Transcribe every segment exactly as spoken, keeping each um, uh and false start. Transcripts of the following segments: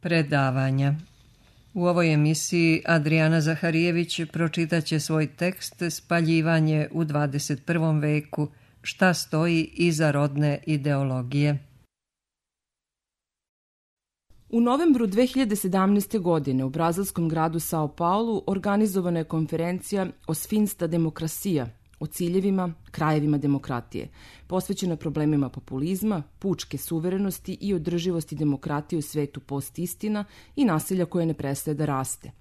Predavanja. U ovoj emisiji Adrijana Zaharijević pročitaće svoj tekst Spaljivanje u dvadeset prvom veku, šta stoji iza rodne ideologije. U novembru dve hiljade sedamnaeste. godine u brazilskom gradu Sao Paulu organizovana je konferencija Os fins da democracia, o ciljevima, krajevima demokratije, posvećena problemima populizma, pučke suverenosti i održivosti demokratije u svetu post-istina i nasilja koje ne prestaje da raste.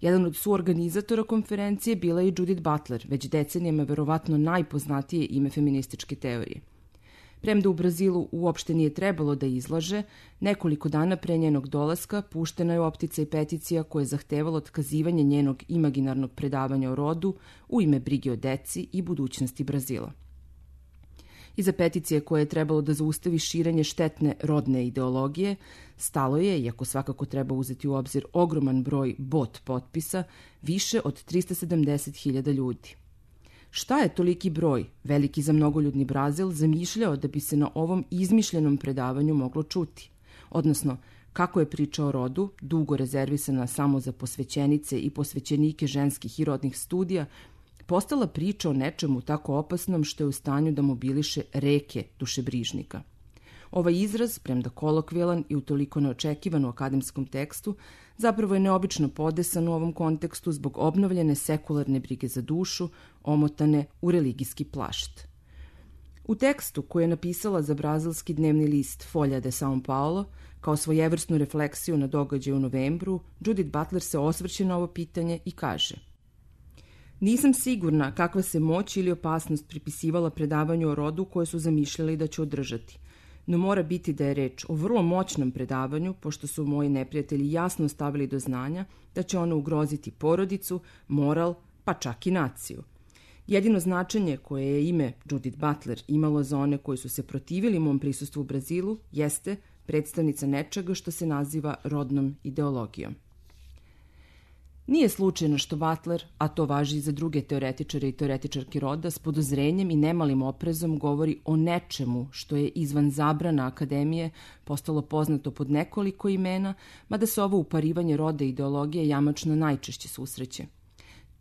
Jedan od suorganizatora konferencije bila je i Judith Butler, već decenijama verovatno najpoznatije ime feminističke teorije. Premda u Brazilu uopšte nije trebalo da izlaže, nekoliko dana pre njenog dolaska puštena je optica i peticija koja je zahtevala otkazivanje njenog imaginarnog predavanja o rodu u ime brige o deci i budućnosti Brazila. Iza peticije koje je trebalo da zaustavi širenje štetne rodne ideologije, stalo je, iako svakako treba uzeti u obzir ogroman broj bot potpisa, više od trista sedamdeset hiljada ljudi. Šta je toliki broj, veliki za mnogoljudni Brazil, zamišljao da bi se na ovom izmišljenom predavanju moglo čuti? Odnosno, kako je priča o rodu, dugo rezervisana samo za posvećenice i posvećenike ženskih i rodnih studija, postala priča o nečemu tako opasnom što je u stanju da mobiliše reke dušebrižnika. Ovaj izraz, premda kolokvijalan i utoliko neočekivan u akademskom tekstu, zapravo je neobično podesan u ovom kontekstu zbog obnovljene sekularne brige za dušu, omotane u religijski plašt. U tekstu koji je napisala za brazilski dnevni list Folha de São Paulo, kao svojevrsnu refleksiju na događaj u novembru, Judith Butler se osvrće na ovo pitanje i kaže: Nisam sigurna kakva se moć ili opasnost pripisivala predavanju o rodu koje su zamišljali da će održati. No mora biti da je reč o vrlo moćnom predavanju, pošto su moji neprijatelji jasno stavili do znanja da će ono ugroziti porodicu, moral, pa čak i naciju. Jedino značenje koje je ime Judith Butler imalo za one koji su se protivili mom prisustvu u Brazilu jeste predstavnica nečega što se naziva rodnom ideologijom. Nije slučajno što Butler, a to važi i za druge teoretičare i teoretičarke roda, s podozrenjem i nemalim oprezom govori o nečemu što je izvan zabrana akademije postalo poznato pod nekoliko imena, mada se ovo uparivanje roda i ideologije jamačno najčešće susreće.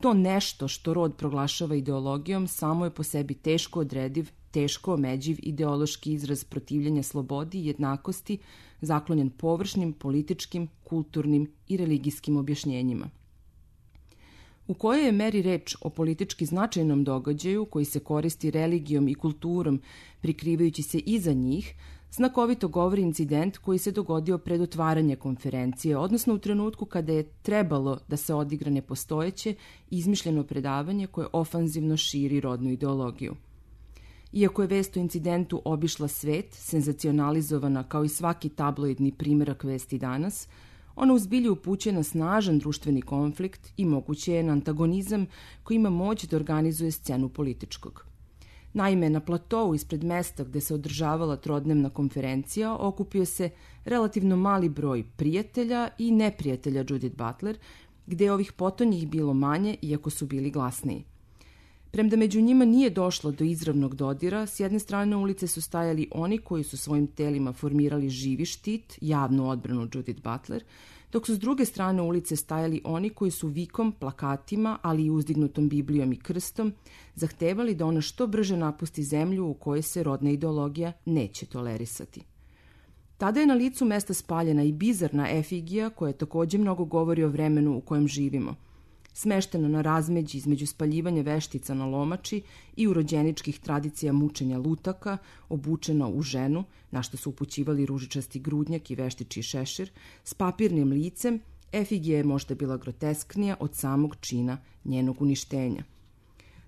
To nešto što rod proglašava ideologijom samo je po sebi teško odrediv, teško omeđiv ideološki izraz protivljenja slobodi i jednakosti, zaklonjen površnim političkim, kulturnim i religijskim objašnjenjima. U kojoj je meri reč o politički značajnom događaju koji se koristi religijom i kulturom prikrivajući se iza njih, znakovito govori incident koji se dogodio pred otvaranje konferencije, odnosno u trenutku kada je trebalo da se odigra nepostojeće izmišljeno predavanje koje ofanzivno širi rodnu ideologiju. Iako je vest o incidentu obišla svet, senzacionalizovana kao i svaki tabloidni primjerak vesti danas, ona u zbilju upućuje na snažan društveni konflikt i moguće je na antagonizam koji ima moć da organizuje scenu političkog. Naime, na platovu ispred mesta gde se održavala trodnevna konferencija okupio se relativno mali broj prijatelja i neprijatelja Judith Butler, gde je ovih potonjih bilo manje iako su bili glasniji. Premda među njima nije došlo do izravnog dodira, s jedne strane ulice su stajali oni koji su svojim telima formirali živi štit, javnu odbranu Judith Butler, dok su s druge strane ulice stajali oni koji su vikom, plakatima, ali i uzdignutom Biblijom i krstom, zahtevali da ona što brže napusti zemlju u kojoj se rodna ideologija neće tolerisati. Tada je na licu mesta spaljena i bizarna efigija koja takođe mnogo govori o vremenu u kojem živimo. Smeštena na razmeđi između spaljivanja veštica na lomači i urođeničkih tradicija mučenja lutaka, obučena u ženu, na što su upućivali ružičasti grudnjak i veštičji šešir, s papirnim licem, efigija je možda bila grotesknija od samog čina njenog uništenja.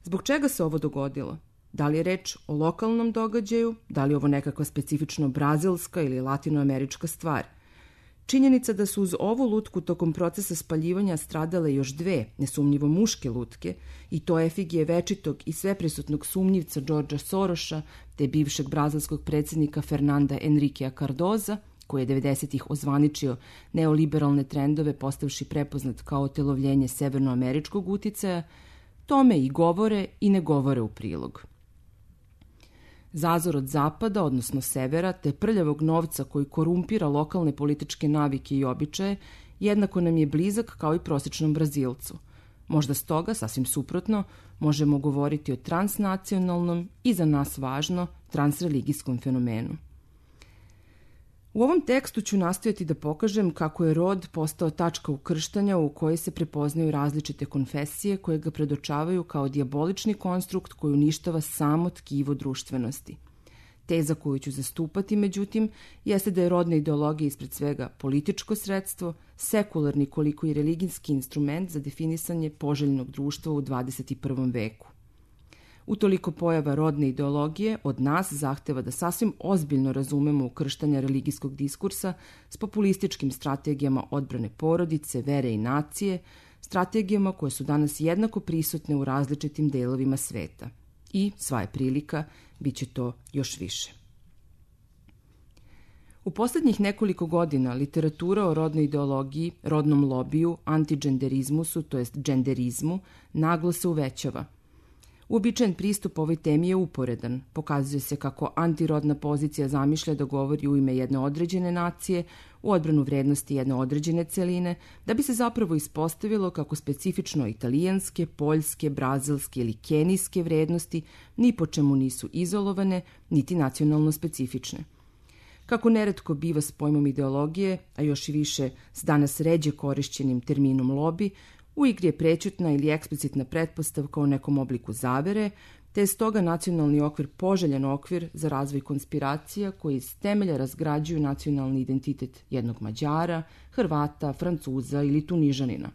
Zbog čega se ovo dogodilo? Da li je reč o lokalnom događaju, da li je ovo nekakva specifično brazilska ili latinoamerička stvar? Činjenica da su uz ovu lutku tokom procesa spaljivanja stradale još dve, nesumnjivo muške lutke, i to efigije večitog i sveprisutnog sumnjivca Georgea Sorosa, te bivšeg brazilskog predsjednika Fernanda Henriquea Cardoza, koji je devedesetih ozvaničio neoliberalne trendove postavši prepoznat kao otelovljenje severnoameričkog uticaja, tome i govore i ne govore u prilog. Zazor od zapada, odnosno severa, te prljavog novca koji korumpira lokalne političke navike i običaje, jednako nam je blizak kao i prosječnom Brazilcu. Možda stoga, sasvim suprotno, možemo govoriti o transnacionalnom i za nas važno transreligijskom fenomenu. U ovom tekstu ću nastojati da pokažem kako je rod postao tačka ukrštanja u kojoj se prepoznaju različite konfesije koje ga predočavaju kao dijabolični konstrukt koji uništava samo tkivo društvenosti. Teza koju ću zastupati, međutim, jeste da je rodna ideologija ispred svega političko sredstvo, sekularni koliko i religijski instrument za definisanje poželjnog društva u dvadeset prvom veku. Utoliko pojava rodne ideologije od nas zahteva da sasvim ozbiljno razumemo ukrštanja religijskog diskursa s populističkim strategijama odbrane porodice, vere i nacije, strategijama koje su danas jednako prisutne u različitim delovima sveta. I, sva je prilika, bit će to još više. U posljednjih nekoliko godina literatura o rodnoj ideologiji, rodnom lobiju, antigenderizmusu, to jest genderizmu, naglo se uvećava. Uobičajen pristup ovoj temi je uporedan. Pokazuje se kako antirodna pozicija zamišlja da govori u ime jedne određene nacije, u odbranu vrednosti jedne određene celine, da bi se zapravo ispostavilo kako specifično italijanske, poljske, brazilske ili kenijske vrednosti ni po čemu nisu izolovane, niti nacionalno specifične. Kako neretko biva s pojmom ideologije, a još i više s danas ređe korišćenim terminom lobi, u igri je prećutna ili eksplicitna pretpostavka o nekom obliku zavere, te je stoga nacionalni okvir poželjan okvir za razvoj konspiracija koji iz temelja razgrađuju nacionalni identitet jednog Mađara, Hrvata, Francuza ili Tunižanina.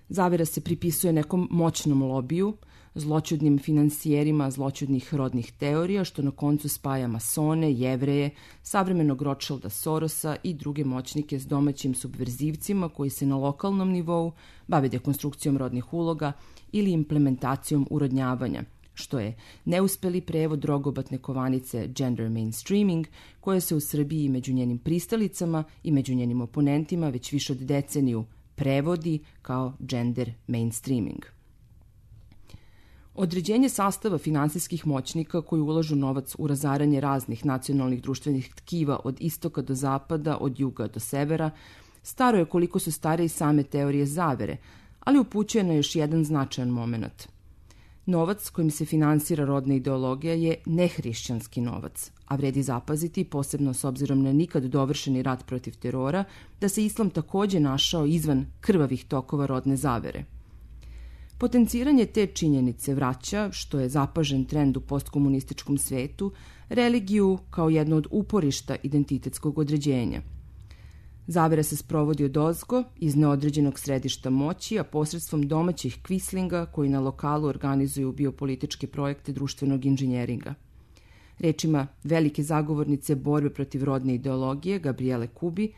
Zavera se pripisuje nekom moćnom lobiju, zloćudnim finansijerima zloćudnih rodnih teorija, što na koncu spaja masone, jevreje, savremenog Rothschilda Sorosa i druge moćnike s domaćim subverzivcima koji se na lokalnom nivou bave dekonstrukcijom rodnih uloga ili implementacijom urodnjavanja, što je neuspeli prevod rogobatne kovanice gender mainstreaming, koja se u Srbiji među njenim pristalicama i među njenim oponentima već više od deceniju prevodi kao gender mainstreaming. Određenje sastava finansijskih moćnika koji ulažu novac u razaranje raznih nacionalnih društvenih tkiva od istoka do zapada, od juga do severa, staro je koliko su stare i same teorije zavere, ali upućuje na još jedan značajan moment. Novac kojim se finansira rodna ideologija je nehrišćanski novac, a vredi zapaziti, posebno s obzirom na nikad dovršeni rat protiv terora, da se islam takođe našao izvan krvavih tokova rodne zavere. Potenciranje te činjenice vraća, što je zapažen trend u postkomunističkom svetu, religiju kao jedno od uporišta identitetskog određenja. Zavera se sprovodi odozgo, iz neodređenog središta moći, a posredstvom domaćih kvislinga koji na lokalu organizuju biopolitičke projekte društvenog inženjeringa. Rečima velike zagovornice borbe protiv rodne ideologije, Gabriele Kubi,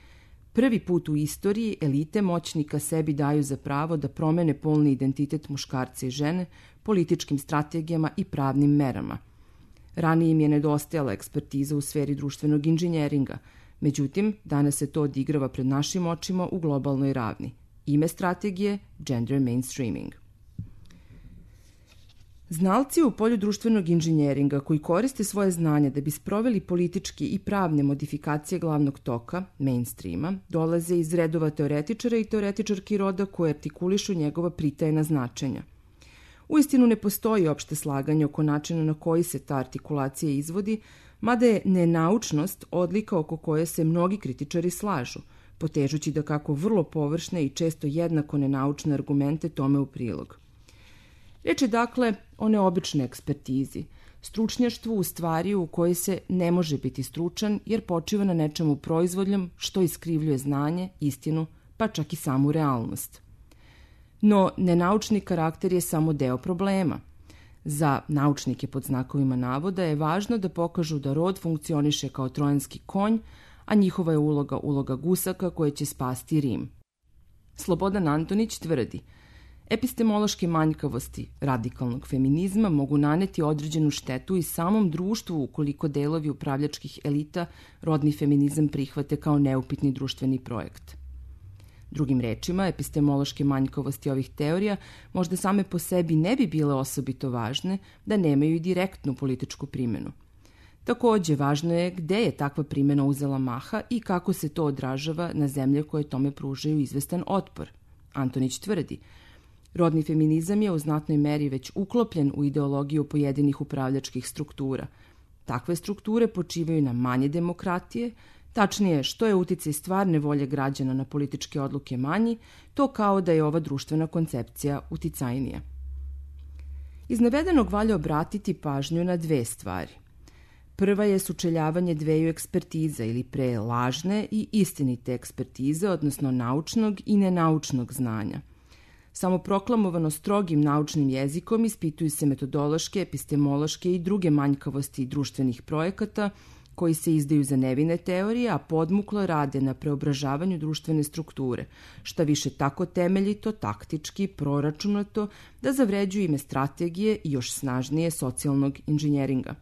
prvi put u istoriji elite moćnika sebi daju za pravo da promene polni identitet muškarca i žene političkim strategijama i pravnim merama. Ranije im je nedostajala ekspertiza u sferi društvenog inženjeringa, međutim, danas se to odigrava pred našim očima u globalnoj ravni. Ime strategije – gender mainstreaming. Znalci u polju društvenog inženjeringa koji koriste svoje znanje da bi sproveli politički i pravne modifikacije glavnog toka, mainstreama, dolaze iz redova teoretičara i teoretičarki roda koje artikulišu njegova pritajena značenja. Uistinu ne postoji opšte slaganje oko načina na koji se ta artikulacija izvodi, mada je nenaučnost odlika oko koje se mnogi kritičari slažu, potežući da kako vrlo površne i često jednako nenaučne argumente tome u prilog. Reč je dakle o neobičnoj ekspertizi, stručnjaštvu u stvari u kojoj se ne može biti stručan jer počiva na nečemu proizvoljnom što iskrivljuje znanje, istinu, pa čak i samu realnost. No, nenaučni karakter je samo deo problema. Za naučnike pod znakovima navoda je važno da pokažu da rod funkcioniše kao trojanski konj, a njihova je uloga uloga gusaka koje će spasti Rim. Slobodan Antonić tvrdi: epistemološke manjkavosti radikalnog feminizma mogu naneti određenu štetu i samom društvu ukoliko delovi upravljačkih elita rodni feminizam prihvate kao neupitni društveni projekt. Drugim rečima, epistemološke manjkavosti ovih teorija možda same po sebi ne bi bile osobito važne da nemaju i direktnu političku primjenu. Takođe, važno je gde je takva primjena uzela maha i kako se to odražava na zemlje koje tome pružaju izvestan otpor. Antonić tvrdi, rodni feminizam je u znatnoj meri već uklopljen u ideologiju pojedinih upravljačkih struktura. Takve strukture počivaju na manje demokratije, tačnije što je uticaj stvarne volje građana na političke odluke manji, to kao da je ova društvena koncepcija uticajnija. Iz navedenog valja obratiti pažnju na dve stvari. Prva je sučeljavanje dveju ekspertiza ili pre lažne i istinite ekspertize, odnosno naučnog i nenaučnog znanja. Samoproklamovano strogim naučnim jezikom ispituju se metodološke, epistemološke i druge manjkavosti društvenih projekata koji se izdaju za nevine teorije, a podmuklo rade na preobražavanju društvene strukture, šta više tako temeljito, taktički, proračunato, da zavređuju ime strategije i još snažnije socijalnog inženjeringa.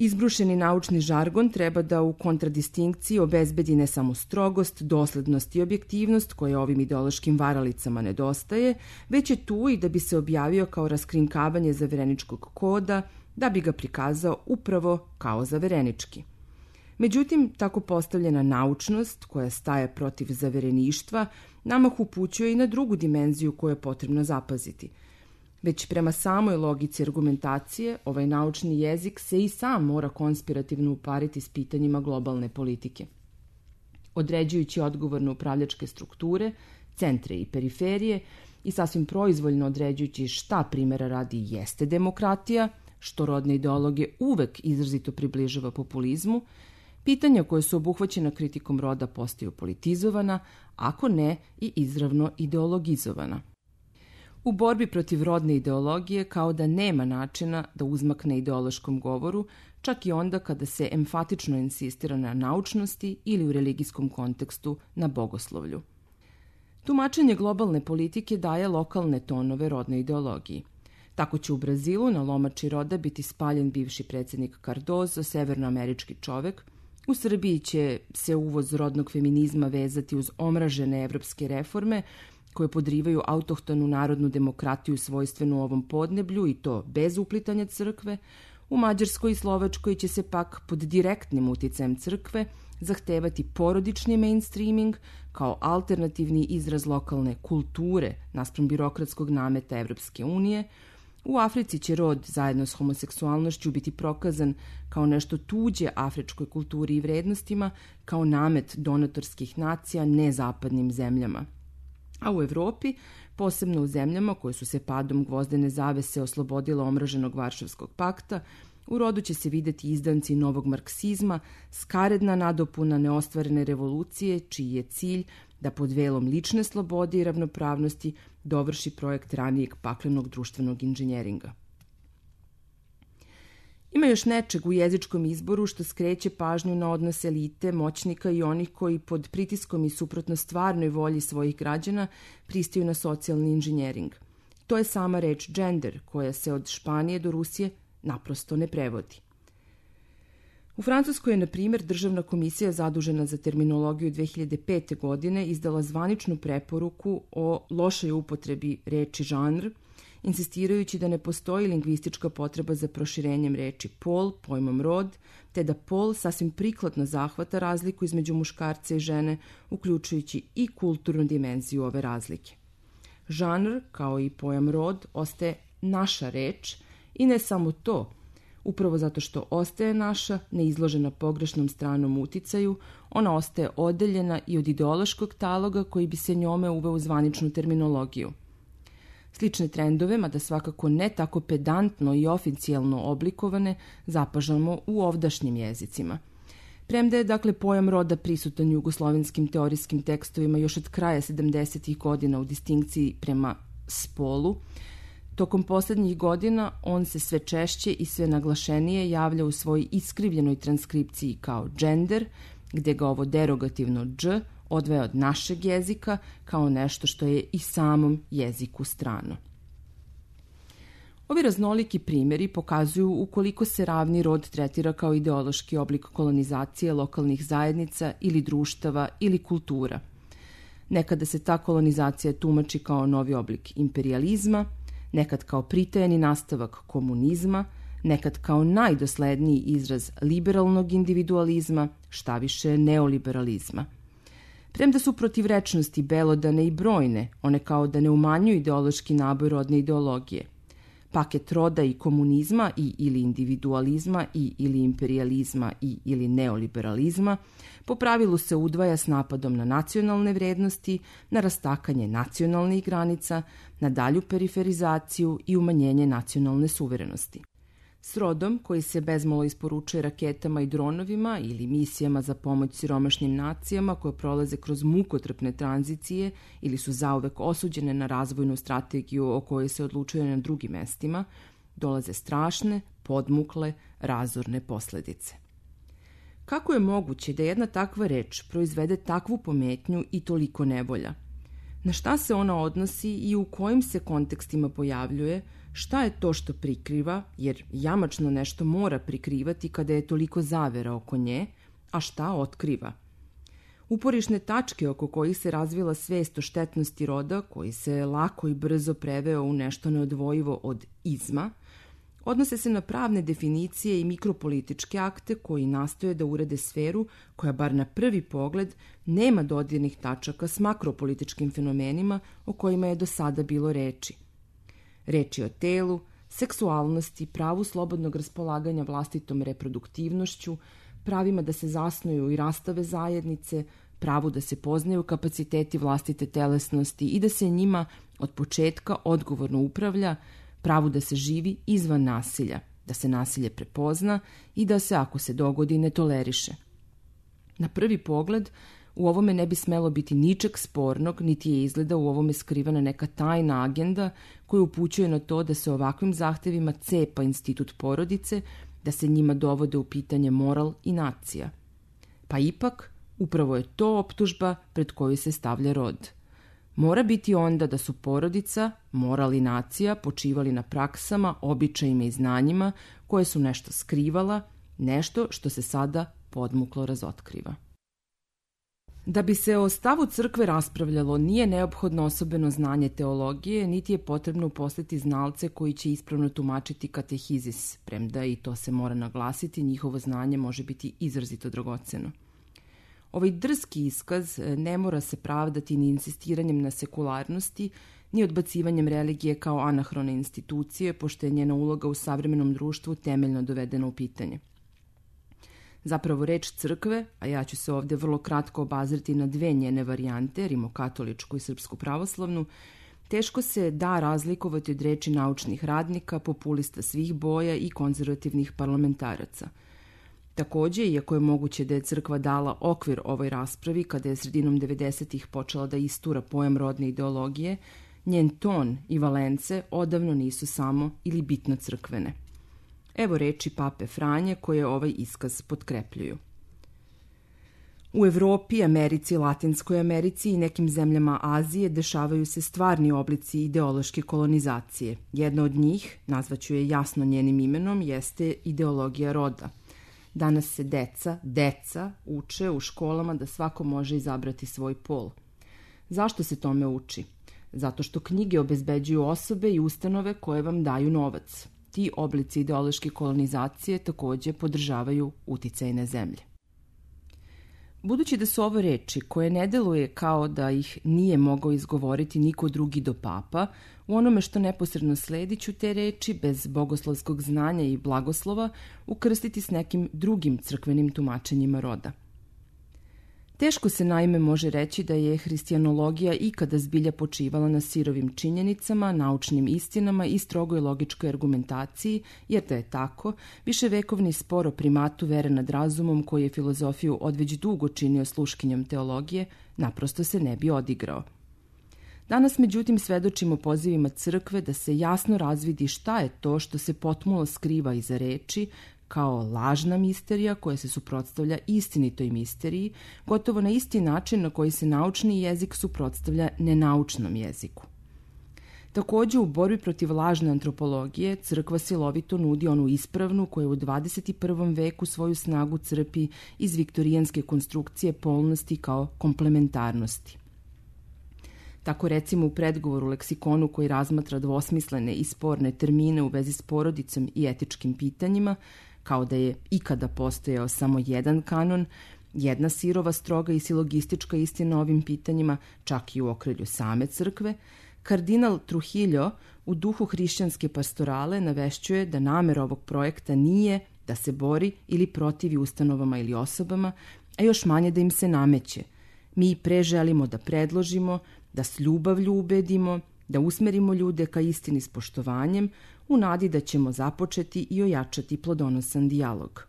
Izbrušeni naučni žargon treba da u kontradistinkciji obezbedi ne samo strogost, doslednost i objektivnost koje ovim ideološkim varalicama nedostaje, već je tu i da bi se objavio kao raskrinkavanje zavereničkog koda, da bi ga prikazao upravo kao zaverenički. Međutim, tako postavljena naučnost, koja staje protiv zavereništva, namah upućuje i na drugu dimenziju koju je potrebno zapaziti. Već prema samoj logici argumentacije, ovaj naučni jezik se i sam mora konspirativno upariti s pitanjima globalne politike. Određujući odgovor na upravljačke strukture, centre i periferije i sasvim proizvoljno određujući šta primjera radi jeste demokratija, što rodne ideologije uvek izrazito približava populizmu, pitanja koje su obuhvaćena kritikom roda postaju politizovana, ako ne i izravno ideologizovana. U borbi protiv rodne ideologije kao da nema načina da uzmakne ideološkom govoru, čak i onda kada se emfatično insistira na naučnosti ili u religijskom kontekstu na bogoslovlju. Tumačenje globalne politike daje lokalne tonove rodne ideologiji. Tako će u Brazilu na lomači roda biti spaljen bivši predsjednik Cardozo, severnoamerički čovek. U Srbiji će se uvoz rodnog feminizma vezati uz omražene evropske reforme koje podrivaju autohtonu narodnu demokratiju svojstvenu ovom podneblju i to bez uplitanja crkve. U Mađarskoj i Slovačkoj će se pak pod direktnim uticajem crkve zahtevati porodični mainstreaming kao alternativni izraz lokalne kulture naspram birokratskog nameta Evropske unije. U Africi će rod zajedno s homoseksualnošću biti prokazan kao nešto tuđe afričkoj kulturi i vrednostima, kao namet donatorskih nacija nezapadnim zemljama. A u Evropi, posebno u zemljama koje su se padom gvozdene zavese oslobodile omraženog Varšavskog pakta, u rodu će se videti izdanci novog marksizma, skaredna nadopuna neostvarene revolucije, čiji je cilj da pod velom lične slobode i ravnopravnosti dovrši projekt ranijeg paklenog društvenog inženjeringa. Ima još nečeg u jezičkom izboru što skreće pažnju na odnos elite, moćnika i onih koji pod pritiskom i suprotno stvarnoj volji svojih građana pristaju na socijalni inženjering. To je sama reč gender, koja se od Španije do Rusije naprosto ne prevodi. U Francuskoj je, na primjer, Državna komisija zadužena za terminologiju dve hiljade pete. godine izdala zvaničnu preporuku o lošoj upotrebi reči žanr, insistirajući da ne postoji lingvistička potreba za proširenjem reči pol, pojmom rod, te da pol sasvim prikladno zahvata razliku između muškarca i žene, uključujući i kulturnu dimenziju ove razlike. Žanr, kao i pojam rod, ostaje naša reč i ne samo to. Upravo zato što ostaje naša, ne izložena pogrešnom stranom uticaju, ona ostaje odeljena i od ideološkog taloga koji bi se njome uveo u zvaničnu terminologiju. Slične trendove, mada svakako ne tako pedantno i oficijalno oblikovane, zapažamo u ovdašnjim jezicima. Premda je dakle pojam roda prisutan jugoslovenskim teorijskim tekstovima još od kraja sedamdesetih godina u distinkciji prema spolu, tokom poslednjih godina on se sve češće i sve naglašenije javlja u svojoj iskrivljenoj transkripciji kao gender, gde ga ovo derogativno dž odvaja od našeg jezika kao nešto što je i samom jeziku strano. Ovi raznoliki primjeri pokazuju ukoliko se ravni rod tretira kao ideološki oblik kolonizacije lokalnih zajednica ili društava ili kultura. Nekada se ta kolonizacija tumači kao novi oblik imperijalizma, nekad kao pritajeni nastavak komunizma, nekad kao najdosledniji izraz liberalnog individualizma, šta više neoliberalizma. Premda su protivrečnosti belodane i brojne, one kao da ne umanjuju ideološki naboj rodne ideologije. Paket roda i komunizma i ili individualizma i ili imperijalizma i ili neoliberalizma po pravilu se udvaja s napadom na nacionalne vrednosti, na rastakanje nacionalnih granica, na dalju periferizaciju i umanjenje nacionalne suverenosti. S rodom, koji se bezmalo isporučuje raketama i dronovima ili misijama za pomoć siromašnim nacijama koje prolaze kroz mukotrpne tranzicije ili su zauvek osuđene na razvojnu strategiju o kojoj se odlučuje na drugim mestima, dolaze strašne, podmukle, razorne posledice. Kako je moguće da jedna takva reč proizvede takvu pometnju i toliko nevolja? Na šta se ona odnosi i u kojim se kontekstima pojavljuje? Šta je to što prikriva, jer jamačno nešto mora prikrivati kada je toliko zavera oko nje, a šta otkriva? Uporišne tačke oko kojih se razvila svest o štetnosti roda, koji se lako i brzo preveo u nešto neodvojivo od izma, odnose se na pravne definicije i mikropolitičke akte koji nastoje da urede sferu koja bar na prvi pogled nema dodirnih tačaka s makropolitičkim fenomenima o kojima je do sada bilo reči. Reč je o telu, seksualnosti, pravu slobodnog raspolaganja vlastitom reproduktivnošću, pravima da se zasnuju i rastave zajednice, pravu da se poznaju kapaciteti vlastite telesnosti i da se njima od početka odgovorno upravlja, pravu da se živi izvan nasilja, da se nasilje prepozna i da se, ako se dogodi, ne toleriše. Na prvi pogled, u ovome ne bi smelo biti ničeg spornog, niti je izgleda u ovome skrivana neka tajna agenda koja upućuje na to da se ovakvim zahtevima cepa institut porodice, da se njima dovode u pitanje moral i nacija. Pa ipak, upravo je to optužba pred koju se stavlja rod. Mora biti onda da su porodica, moral i nacija počivali na praksama, običajima i znanjima koje su nešto skrivala, nešto što se sada podmuklo razotkriva. Da bi se o stavu crkve raspravljalo, nije neophodno osobeno znanje teologije, niti je potrebno uposliti znalce koji će ispravno tumačiti katehizis, premda i to se mora naglasiti, njihovo znanje može biti izrazito dragoceno. Ovaj drski iskaz ne mora se pravdati ni insistiranjem na sekularnosti, ni odbacivanjem religije kao anahrone institucije, pošto je njena uloga u savremenom društvu temeljno dovedena u pitanje. Zapravo reč crkve, a ja ću se ovdje vrlo kratko obazreti na dve njene varijante, rimokatoličku i srpsku pravoslavnu, teško se da razlikovati od reči naučnih radnika, populista svih boja i konzervativnih parlamentaraca. Također, iako je moguće da je crkva dala okvir ovoj raspravi kada je sredinom devedesetih počela da istura pojam rodne ideologije, njen ton i valence odavno nisu samo ili bitno crkvene. Evo reči pape Franje koje ovaj iskaz potkrepljuju. U Evropi, Americi, Latinskoj Americi i nekim zemljama Azije dešavaju se stvarni oblici ideološke kolonizacije. Jedna od njih, nazvaću je jasno njenim imenom, jeste ideologija roda. Danas se deca, deca uče u školama da svako može izabrati svoj pol. Zašto se tome uči? Zato što knjige obezbeđuju osobe i ustanove koje vam daju novac. Ti oblici ideološke kolonizacije također podržavaju uticajne zemlje. Budući da su ovo reči koje ne deluje kao da ih nije mogao izgovoriti niko drugi do papa, u onome što neposredno sledi ću te reči bez bogoslovskog znanja i blagoslova ukrstiti s nekim drugim crkvenim tumačenjima roda. Teško se naime može reći da je hristijanologija ikada zbilja počivala na sirovim činjenicama, naučnim istinama i strogoj logičkoj argumentaciji, jer da je tako, viševekovni spor o primatu vere nad razumom koji je filozofiju odveć dugo činio sluškinjom teologije, naprosto se ne bi odigrao. Danas, međutim, svedočimo pozivima crkve da se jasno razvidi šta je to što se potmulo skriva iza reči, kao lažna misterija koja se suprotstavlja istinitoj misteriji, gotovo na isti način na koji se naučni jezik suprotstavlja nenaučnom jeziku. Također, u borbi protiv lažne antropologije crkva silovito nudi onu ispravnu koja u dvadeset prvom veku svoju snagu crpi iz viktorijanske konstrukcije polnosti kao komplementarnosti. Tako recimo u predgovoru leksikonu koji razmatra dvosmislene i sporne termine u vezi s porodicom i etičkim pitanjima, kao da je ikada postojao samo jedan kanon, jedna sirova, stroga i silogistička istina o ovim pitanjima, čak i u okrilju same crkve, kardinal Trujillo u duhu hrišćanske pastorale navešćuje da namera ovog projekta nije da se bori ili protivi ustanovama ili osobama, a još manje da im se nameće. Mi pre želimo da predložimo, da s ljubavlju ubedimo, da usmerimo ljude ka istini s poštovanjem, u nadi da ćemo započeti i ojačati plodonosan dijalog.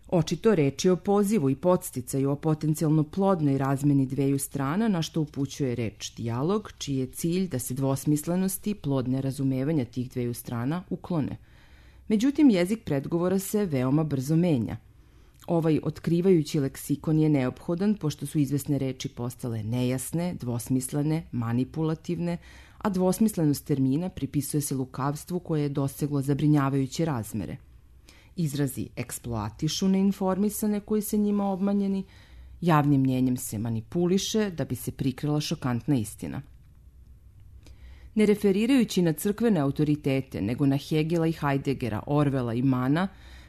Očito reč je o pozivu i podsticaju o potencijalno plodnoj razmeni dveju strana, na što upućuje reč dijalog, čiji je cilj da se dvosmislenosti, plodne razumevanja tih dveju strana uklone. Međutim, jezik predgovora se veoma brzo menja. Ovaj otkrivajući leksikon je neophodan pošto su izvesne reči postale nejasne, dvosmislene, manipulativne, a dvosmislenost termina pripisuje se lukavstvu koje je doseglo zabrinjavajuće razmere. Izrazi eksploatišu neinformisane koji se njima obmanjeni, javnim mnjenjem se manipuliše da bi se prikrila šokantna istina. Ne referirajući na crkvene autoritete, nego na Hegela i Heideggera, Orwella i Mana,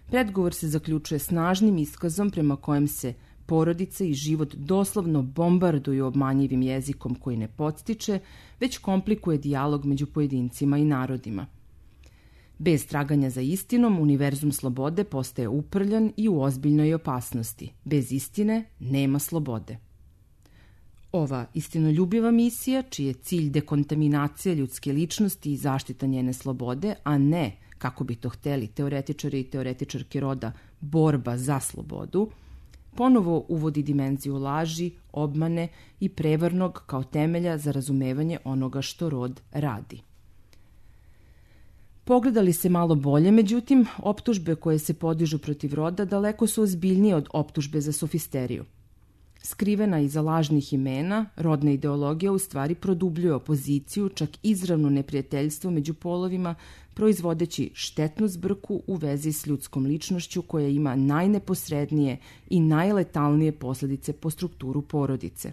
predgovor se zaključuje snažnim iskazom prema kojem se porodica i život doslovno bombarduju obmanjivim jezikom koji ne podstiče, već komplikuje dijalog među pojedincima i narodima. Bez traganja za istinom, univerzum slobode postaje uprljan i u ozbiljnoj opasnosti. Bez istine nema slobode. Ova istinoljubiva misija, čiji je cilj dekontaminacija ljudske ličnosti i zaštita njene slobode, a ne, kako bi to hteli teoretičari i teoretičarke roda, borba za slobodu, ponovo uvodi dimenziju laži, obmane i prevarnog kao temelja za razumevanje onoga što rod radi. Pogledali se malo bolje, međutim, optužbe koje se podižu protiv roda daleko su ozbiljnije od optužbe za sofisteriju. Skrivena iza lažnih imena, rodna ideologija u stvari produbljuje opoziciju, čak izravno neprijateljstvo među polovima, proizvodeći štetnu zbrku u vezi s ljudskom ličnošću koja ima najneposrednije i najletalnije posledice po strukturu porodice.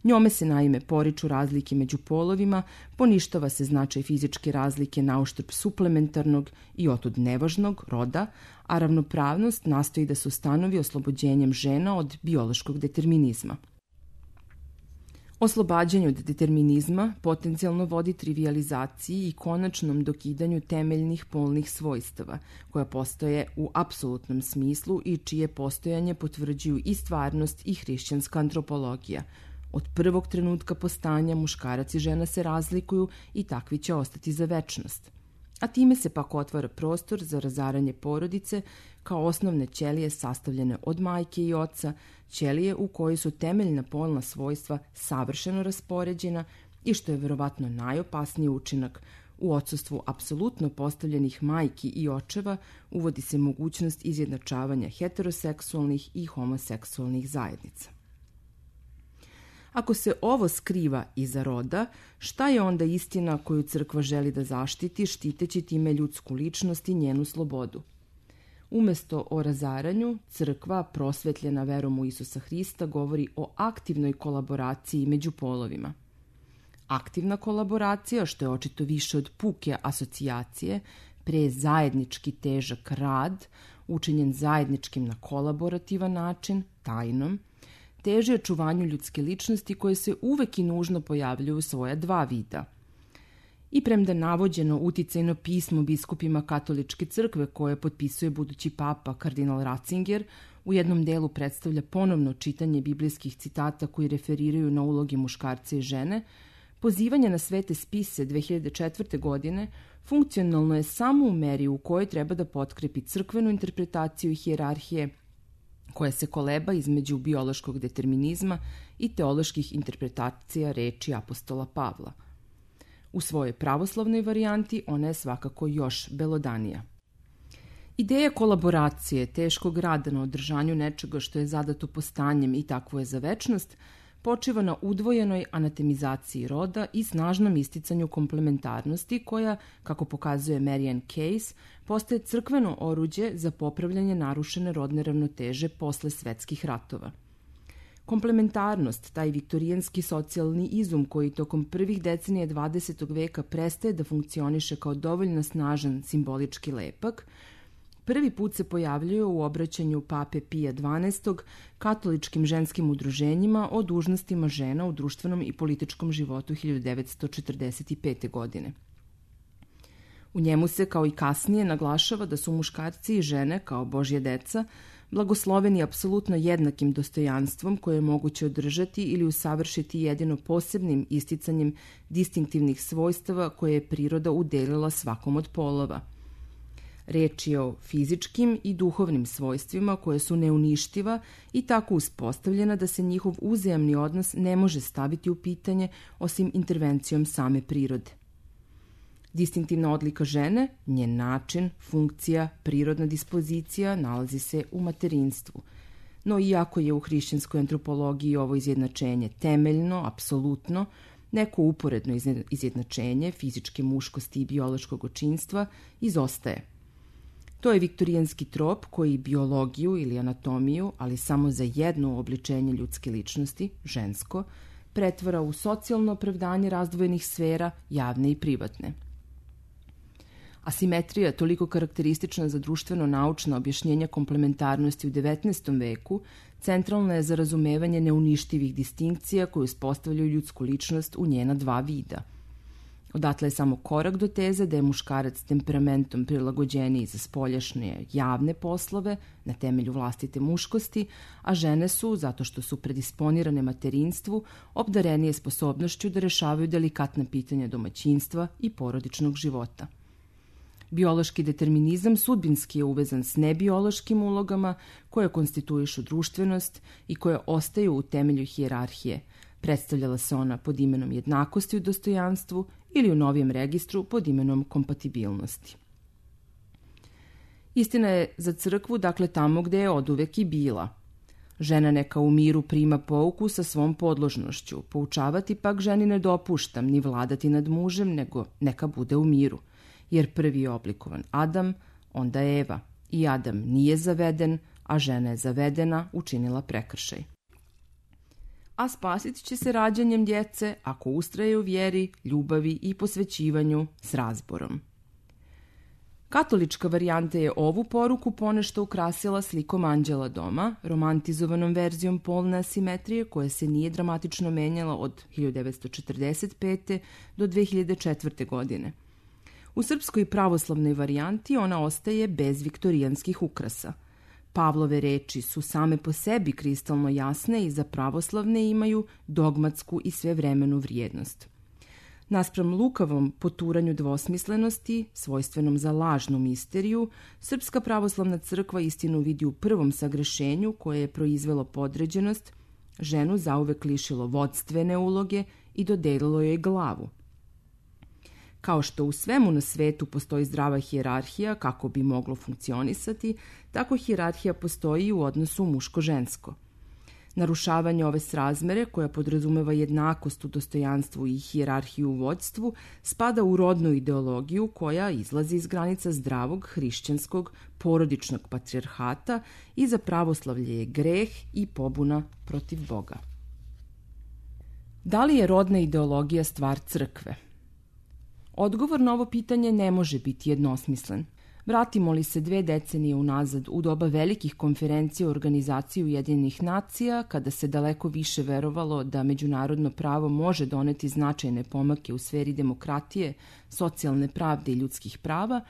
Njome se naime poriču razlike među polovima, poništava se značaj fizičke razlike na uštrb suplementarnog i otud nevažnog roda, a ravnopravnost nastoji da se ustanovi oslobođenjem žena od biološkog determinizma. Oslobađanje od determinizma potencijalno vodi trivijalizaciji i konačnom dokidanju temeljnih polnih svojstava, koja postoje u apsolutnom smislu i čije postojanje potvrđuju i stvarnost i hrišćanska antropologija. Od prvog trenutka postanja muškarac i žena se razlikuju i takvi će ostati za večnost. A time se pak otvara prostor za razaranje porodice kao osnovne ćelije sastavljene od majke i oca, ćelije u kojoj su temeljna polna svojstva savršeno raspoređena i što je verovatno najopasniji učinak, u odsustvu apsolutno postavljenih majki i očeva uvodi se mogućnost izjednačavanja heteroseksualnih i homoseksualnih zajednica. Ako se ovo skriva iza roda, šta je onda istina koju crkva želi da zaštiti, štiteći time ljudsku ličnost i njenu slobodu? Umesto o razaranju, crkva, prosvetljena verom u Isusa Hrista, govori o aktivnoj kolaboraciji među polovima. Aktivna kolaboracija, što je očito više od puke asocijacije, pre zajednički težak rad, učinjen zajedničkim na kolaborativan način, tajnom, teže očuvanju ljudske ličnosti koje se uvek i nužno pojavljuju u svoja dva vida. I premda navođeno uticajno pismo biskupima katoličke crkve koje potpisuje budući papa kardinal Ratzinger, u jednom delu predstavlja ponovno čitanje biblijskih citata koji referiraju na uloge muškarca i žene, pozivanje na svete spise dve hiljade četvrte. godine funkcionalno je samo u meri u kojoj treba da potkrepi crkvenu interpretaciju i hijerarhije koja se koleba između biološkog determinizma i teoloških interpretacija reči apostola Pavla. U svojoj pravoslavnoj varijanti ona je svakako još belodanija. Ideja kolaboracije, teškog rada na održanju nečega što je zadato postanjem i takvo je za večnost, počiva na udvojenoj anatemizaciji roda i snažnom isticanju komplementarnosti koja, kako pokazuje Marian Case, postaje crkveno oruđe za popravljanje narušene rodne ravnoteže posle svetskih ratova. Komplementarnost, taj viktorijanski socijalni izum koji tokom prvih decenija dvadesetog veka prestaje da funkcioniše kao dovoljno snažan simbolički lepak, prvi put se pojavljuje u obraćanju pape Pija dvanaestog katoličkim ženskim udruženjima o dužnostima žena u društvenom i političkom životu hiljadu devetsto četrdeset pete. godine. U njemu se, kao i kasnije, naglašava da su muškarci i žene, kao Božje deca, blagosloveni apsolutno jednakim dostojanstvom koje je moguće održati ili usavršiti jedino posebnim isticanjem distinktivnih svojstava koje je priroda udelila svakom od polova. Reč je o fizičkim i duhovnim svojstvima koje su neuništiva i tako uspostavljena da se njihov uzajamni odnos ne može staviti u pitanje osim intervencijom same prirode. Distinktivna odlika žene, njen način, funkcija, prirodna dispozicija nalazi se u materinstvu. No iako je u hrišćanskoj antropologiji ovo izjednačenje temeljno, apsolutno, neko uporedno izjednačenje fizičke muškosti i biološkog očinstva izostaje. To je viktorijanski trop koji biologiju ili anatomiju, ali samo za jedno obličenje ljudske ličnosti, žensko, pretvara u socijalno opravdanje razdvojenih sfera, javne i privatne. Asimetrija, toliko karakteristična za društveno-naučna objašnjenja komplementarnosti u devetnaestom veku, centralna je za razumevanje neuništivih distinkcija koje uspostavljaju ljudsku ličnost u njena dva vida. Odatle je samo korak do teze da je muškarac temperamentom prilagođeniji za spoljašnje javne poslove na temelju vlastite muškosti, a žene su, zato što su predisponirane materinstvu, obdarenije sposobnošću da rešavaju delikatna pitanja domaćinstva i porodičnog života. Biološki determinizam sudbinski je uvezan s nebiološkim ulogama koje konstituišu društvenost i koje ostaju u temelju hijerarhije. Predstavljala se ona pod imenom jednakosti u dostojanstvu ili u novijem registru pod imenom kompatibilnosti. Istina je za crkvu, dakle tamo gde je oduvek i bila. Žena neka u miru prima pouku sa svom podložnošću, poučavati pak ženi ne dopuštam ni vladati nad mužem, nego neka bude u miru. Jer prvi je oblikovan Adam, onda Eva. I Adam nije zaveden, a žena je zavedena, učinila prekršaj. A spasit će se rađanjem djece ako ustraje u vjeri, ljubavi i posvećivanju s razborom. Katolička varijanta je ovu poruku ponešto ukrasila slikom Anđela doma, romantizovanom verzijom polne asimetrije koja se nije dramatično menjala od hiljadu devetsto četrdeset pete. do dve hiljade četvrte. godine. U srpskoj pravoslavnoj varijanti ona ostaje bez viktorijanskih ukrasa. Pavlove reči su same po sebi kristalno jasne i za pravoslavne imaju dogmatsku i svevremenu vrijednost. Naspram lukavom poturanju dvosmislenosti, svojstvenom za lažnu misteriju, Srpska pravoslavna crkva istinu vidi u prvom sagrešenju koje je proizvelo podređenost, ženu zauvek lišilo vodstvene uloge i dodelilo joj glavu. Kao što u svemu na svetu postoji zdrava hijerarhija kako bi moglo funkcionisati, tako hijerarhija postoji i u odnosu muško-žensko. Narušavanje ove srazmere, koja podrazumeva jednakost u dostojanstvu i hijerarhiju u vođstvu, spada u rodnu ideologiju koja izlazi iz granica zdravog, hrišćanskog, porodičnog patrijarhata i za pravoslavlje je greh i pobuna protiv Boga. Da li je rodna ideologija stvar crkve? Odgovor na ovo pitanje ne može biti jednosmislen. Vratimo li se dve decenije unazad u doba velikih konferencija u organizaciji Ujedinjenih nacija, kada se daleko više verovalo da međunarodno pravo može doneti značajne pomake u sferi demokratije, socijalne pravde i ljudskih prava,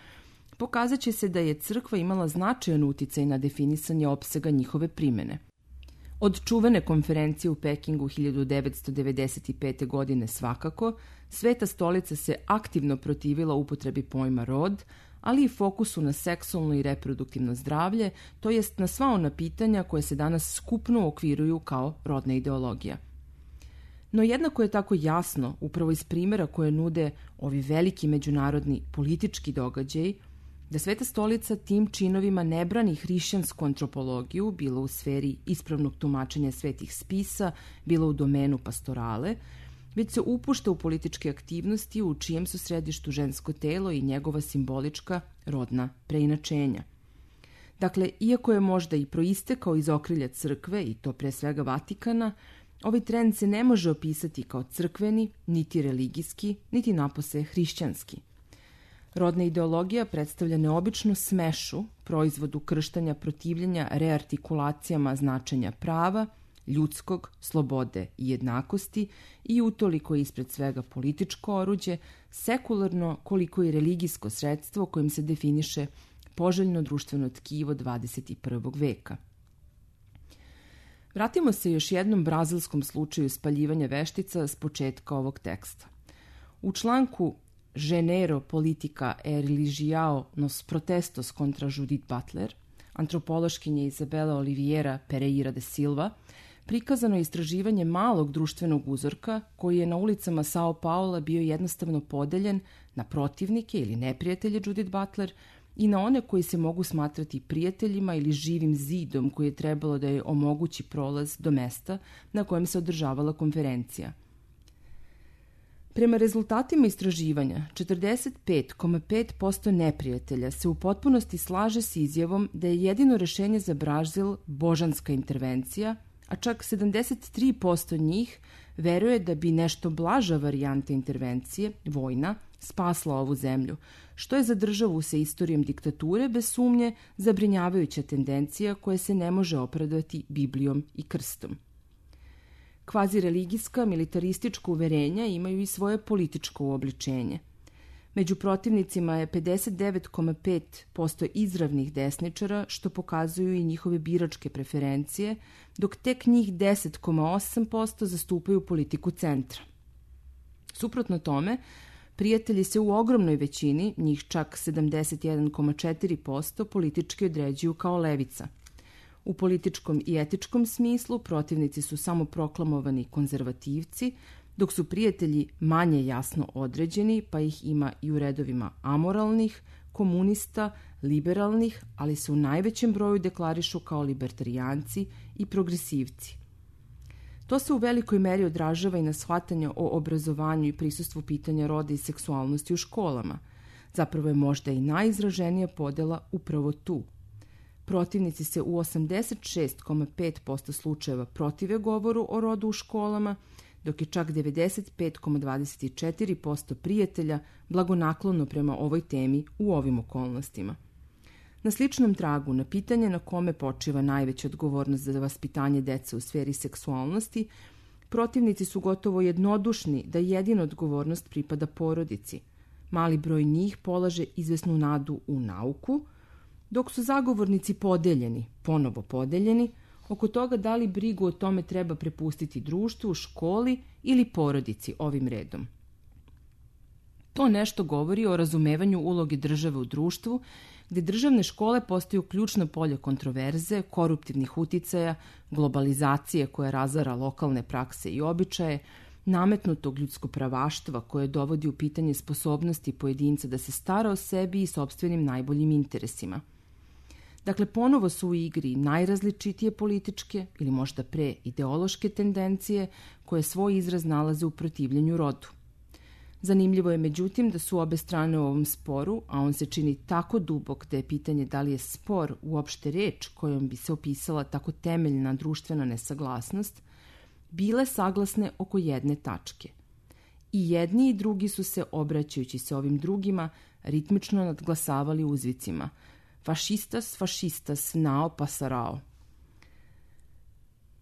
pokazat će se da je crkva imala značajan uticaj na definisanje opsega njihove primene. Od čuvene konferencije u Pekingu hiljadu devetsto devedeset pete. godine svakako, Sveta stolica se aktivno protivila upotrebi pojma rod, ali i fokusu na seksualno i reproduktivno zdravlje, to jest na sva ona pitanja koje se danas skupno okviruju kao rodna ideologija. No jednako je tako jasno, upravo iz primjera koje nude ovi veliki međunarodni politički događaji, da Sveta stolica tim činovima ne brani hrišćansku antropologiju, bilo u sferi ispravnog tumačenja svetih spisa, bilo u domenu pastorale, već se upušta u političke aktivnosti u čijem su središtu žensko telo i njegova simbolička rodna preinačenja. Dakle, iako je možda i proistekao iz okrilja crkve, i to pre svega Vatikana, ovaj trend se ne može opisati kao crkveni, niti religijski, niti napose hrišćanski. Rodna ideologija predstavlja neobičnu smešu, proizvodu krštanja protivljenja reartikulacijama značenja prava, ljudskog, slobode i jednakosti i utoliko je ispred svega političko oruđe, sekularno koliko i religijsko sredstvo kojim se definiše poželjno društveno tkivo dvadeset prvog veka. Vratimo se još jednom brazilskom slučaju spaljivanja veštica s početka ovog teksta. U članku Genero politica e religiao nos protestos contra Judith Butler, antropološkinje Izabela Oliveira Pereira de Silva, prikazano je istraživanje malog društvenog uzorka koji je na ulicama Sao Paula bio jednostavno podeljen na protivnike ili neprijatelje Judith Butler i na one koji se mogu smatrati prijateljima ili živim zidom koji je trebalo da je omogući prolaz do mesta na kojem se održavala konferencija. Prema rezultatima istraživanja, četrdeset pet zarez pet posto neprijatelja se u potpunosti slaže s izjavom da je jedino rešenje za Brazil božanska intervencija, a čak sedamdeset tri posto njih veruje da bi nešto blaža varijanta intervencije, vojna, spasla ovu zemlju, što je za državu sa istorijom diktature bez sumnje zabrinjavajuća tendencija koja se ne može opravdati Biblijom i krstom. Kvazireligijska, militaristička uverenja imaju i svoje političko uobličenje. Među protivnicima je pedeset devet zarez pet posto izravnih desničara, što pokazuju i njihove biračke preferencije, dok tek njih deset zarez osam posto zastupaju politiku centra. Suprotno tome, prijatelji se u ogromnoj većini, njih čak sedamdeset jedan zarez četiri posto, politički određuju kao levica. U političkom i etičkom smislu protivnici su samo proklamovani konzervativci, dok su prijatelji manje jasno određeni, pa ih ima i u redovima amoralnih, komunista, liberalnih, ali se u najvećem broju deklarišu kao libertarijanci i progresivci. To se u velikoj meri odražava i na shvatanje o obrazovanju i prisustvu pitanja roda i seksualnosti u školama. Zapravo je možda i najizraženija podela upravo tu. Protivnici se u osamdeset šest zarez pet posto slučajeva protive govoru o rodu u školama, dok je čak devedeset pet zarez dvadeset četiri posto prijatelja blagonaklono prema ovoj temi u ovim okolnostima. Na sličnom tragu, na pitanje na kome počiva najveća odgovornost za vaspitanje dece u sferi seksualnosti, protivnici su gotovo jednodušni da jedina odgovornost pripada porodici. Mali broj njih polaže izvesnu nadu u nauku, dok su zagovornici podeljeni, ponovo podeljeni, oko toga da li brigu o tome treba prepustiti društvu, školi ili porodici ovim redom. To nešto govori o razumevanju uloge države u društvu, gde državne škole postaju ključno polje kontroverze, koruptivnih uticaja, globalizacije koja razara lokalne prakse i običaje, nametnutog ljudskopravaštva koje dovodi u pitanje sposobnosti pojedinca da se stara o sebi i sopstvenim najboljim interesima. Dakle, ponovo su u igri najrazličitije političke ili možda pre ideološke tendencije koje svoj izraz nalaze u protivljenju rodu. Zanimljivo je međutim da su obe strane u ovom sporu, a on se čini tako dubok da je pitanje da li je spor uopšte reč kojom bi se opisala tako temeljna društvena nesaglasnost, bile saglasne oko jedne tačke. I jedni i drugi su se, obraćajući se ovim drugima, ritmično nadglasavali uzvicima fašistas, fašistas, nao pasarao.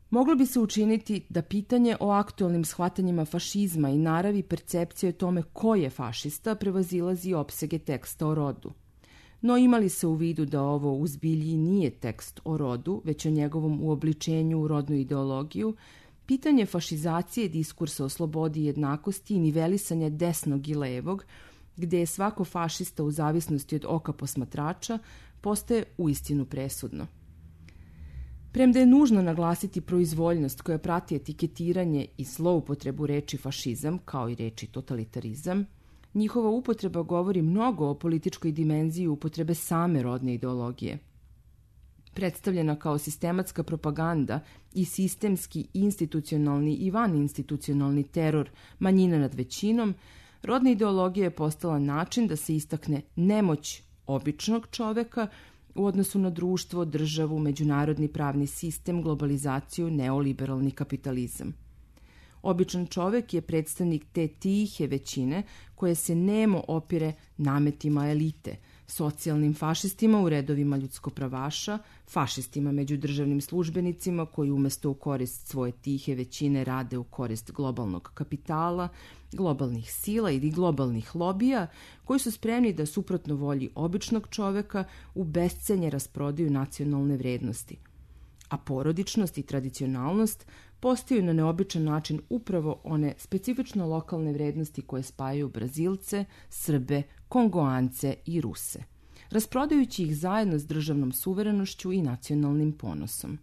Moglo bi se učiniti da pitanje o aktualnim shvatanjima fašizma i naravi percepcije o tome ko je fašista prevazilazi opsege teksta o rodu. No imali se u vidu da ovo u zbilji nije tekst o rodu, već o njegovom uobličenju u rodnu ideologiju, pitanje fašizacije diskursa o slobodi i jednakosti i nivelisanja desnog i levog, gde je svako fašista u zavisnosti od oka posmatrača, postaje uistinu presudno. Premda je nužno naglasiti proizvoljnost koja prati etiketiranje i zloupotrebu reči fašizam, kao i reči totalitarizam, njihova upotreba govori mnogo o političkoj dimenziji upotrebe same rodne ideologije. Predstavljena kao sistematska propaganda i sistemski, institucionalni i vaninstitucionalni teror manjina nad većinom, rodna ideologija je postala način da se istakne nemoć običnog čoveka u odnosu na društvo, državu, međunarodni pravni sistem, globalizaciju, neoliberalni kapitalizam. Običan čovek je predstavnik te tihe većine koje se nemo opire nametima elite, socijalnim fašistima u redovima ljudskopravaša, fašistima među državnim službenicima koji umesto u korist svoje tihe većine rade u korist globalnog kapitala, globalnih sila ili globalnih lobija koji su spremni da suprotno volji običnog čoveka u bescenje rasprodaju nacionalne vrednosti. A porodičnost i tradicionalnost postaju na neobičan način upravo one specifično lokalne vrednosti koje spajaju Brazilce, Srbe, Kongoance i Ruse, rasprodajući ih zajedno s državnom suverenošću i nacionalnim ponosom.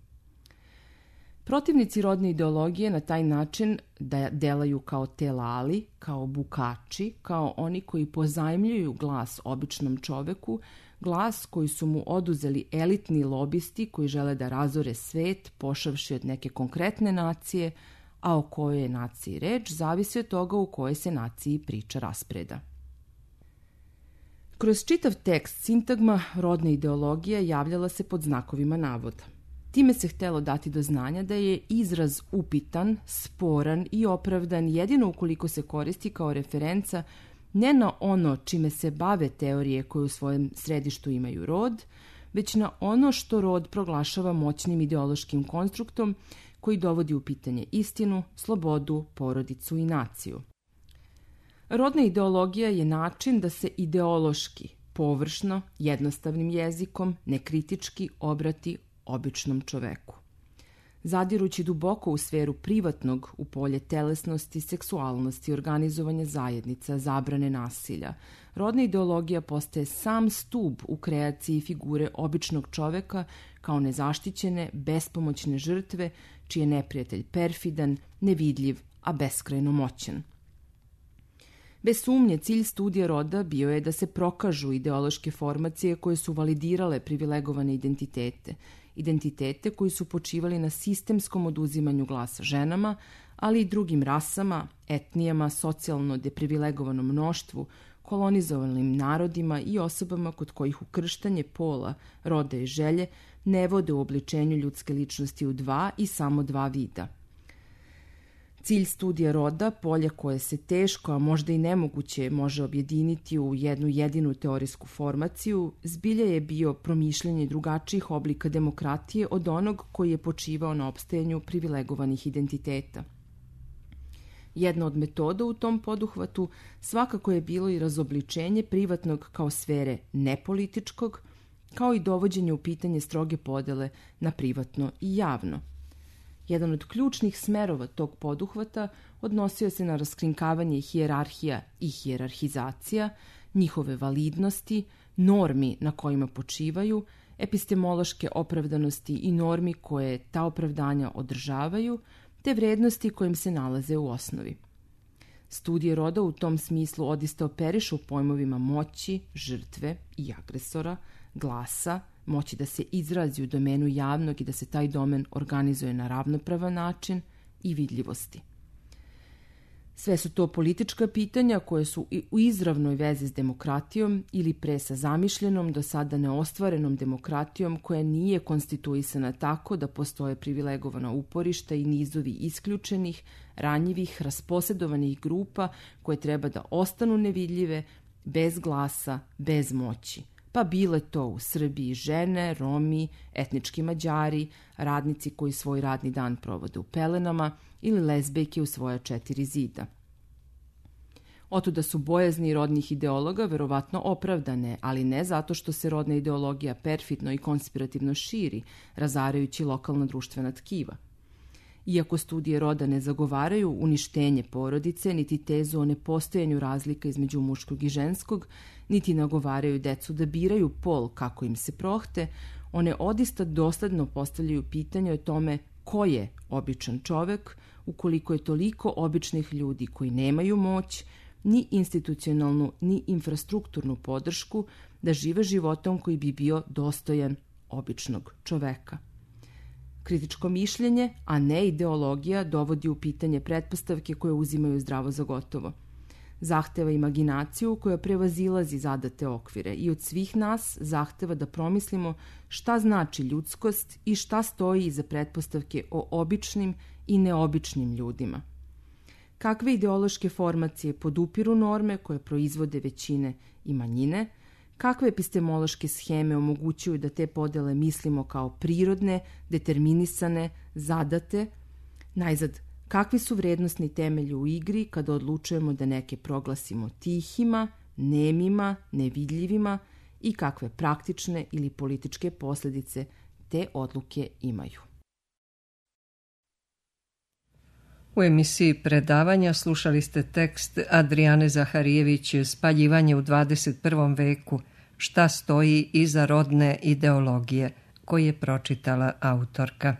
Protivnici rodne ideologije na taj način da delaju kao telali, kao bukači, kao oni koji pozajmljuju glas običnom čoveku, glas koji su mu oduzeli elitni lobisti koji žele da razore svet, pošavši od neke konkretne nacije, a o kojoj je naciji reč zavisi od toga u kojoj se naciji priča raspreda. Kroz čitav tekst sintagma rodna ideologija javljala se pod znakovima navoda. Time se htelo dati do znanja da je izraz upitan, sporan i opravdan jedino ukoliko se koristi kao referenca ne na ono čime se bave teorije koje u svojem središtu imaju rod, već na ono što rod proglašava moćnim ideološkim konstruktom koji dovodi u pitanje istinu, slobodu, porodicu i naciju. Rodna ideologija je način da se ideološki, površno, jednostavnim jezikom, nekritički obrati običnom čoveku. Zadirući duboko u sferu privatnog, u polje telesnosti, seksualnosti, organizovanja zajednica, zabrane nasilja, rodna ideologija postaje sam stub u kreaciji figure običnog čoveka kao nezaštićene, bespomoćne žrtve, čiji je neprijatelj perfidan, nevidljiv, a beskrajno moćan. Bez sumnje, cilj studija roda bio je da se prokažu ideološke formacije koje su validirale privilegovane identitete, identitete koji su počivali na sistemskom oduzimanju glasa ženama, ali i drugim rasama, etnijama, socijalno deprivilegovanom mnoštvu, kolonizovanim narodima i osobama kod kojih ukrštanje pola, roda i želje ne vode u obličenju ljudske ličnosti u dva i samo dva vida. Cilj studija roda, polje koje se teško, a možda i nemoguće može objediniti u jednu jedinu teorijsku formaciju, zbilja je bio promišljanje drugačijih oblika demokratije od onog koji je počivao na opstajanju privilegovanih identiteta. Jedna od metoda u tom poduhvatu svakako je bilo i razobličenje privatnog kao sfere nepolitičkog, kao i dovođenje u pitanje stroge podele na privatno i javno. Jedan od ključnih smerova tog poduhvata odnosio se na raskrinkavanje hijerarhija i hijerarhizacija, njihove validnosti, normi na kojima počivaju, epistemološke opravdanosti i normi koje ta opravdanja održavaju, te vrednosti kojim se nalaze u osnovi. Studije roda u tom smislu odista operišu pojmovima moći, žrtve i agresora, glasa, moći da se izrazi u domenu javnog i da se taj domen organizuje na ravnopravan način i vidljivosti. Sve su to politička pitanja koje su u izravnoj vezi s demokratijom ili pre sa zamišljenom, do sada neostvarenom demokratijom koja nije konstituisana tako da postoje privilegovana uporišta i nizovi isključenih, ranjivih, rasposedovanih grupa koje treba da ostanu nevidljive, bez glasa, bez moći. Pa bile to u Srbiji žene, Romi, etnički Mađari, radnici koji svoj radni dan provode u pelenama ili lezbejke u svoja četiri zida. Otuda su bojazni rodnih ideologa verovatno opravdane, ali ne zato što se rodna ideologija perfidno i konspirativno širi, razarajući lokalna društvena tkiva. Iako studije roda ne zagovaraju uništenje porodice, niti tezu o nepostojanju razlika između muškog i ženskog, niti nagovaraju decu da biraju pol kako im se prohte, one odista dosledno postavljaju pitanje o tome ko je običan čovek, ukoliko je toliko običnih ljudi koji nemaju moć, ni institucionalnu, ni infrastrukturnu podršku da žive životom koji bi bio dostojan običnog čoveka. Kritičko mišljenje, a ne ideologija, dovodi u pitanje pretpostavke koje uzimaju zdravo za gotovo. Zahteva imaginaciju koja prevazilazi zadate okvire i od svih nas zahteva da promislimo šta znači ljudskost i šta stoji iza pretpostavke o običnim i neobičnim ljudima. Kakve ideološke formacije podupiru norme koje proizvode većine i manjine, kakve epistemološke scheme omogućuju da te podele mislimo kao prirodne, determinisane, zadate, najzad, kakvi su vrednosni temelji u igri kada odlučujemo da neke proglasimo tihima, nemima, nevidljivima i kakve praktične ili političke posljedice te odluke imaju. U emisiji predavanja slušali ste tekst Adrijane Zaharijević Spaljivanje u dvadeset prvom veku, šta stoji iza rodne ideologije, koji je pročitala autorka.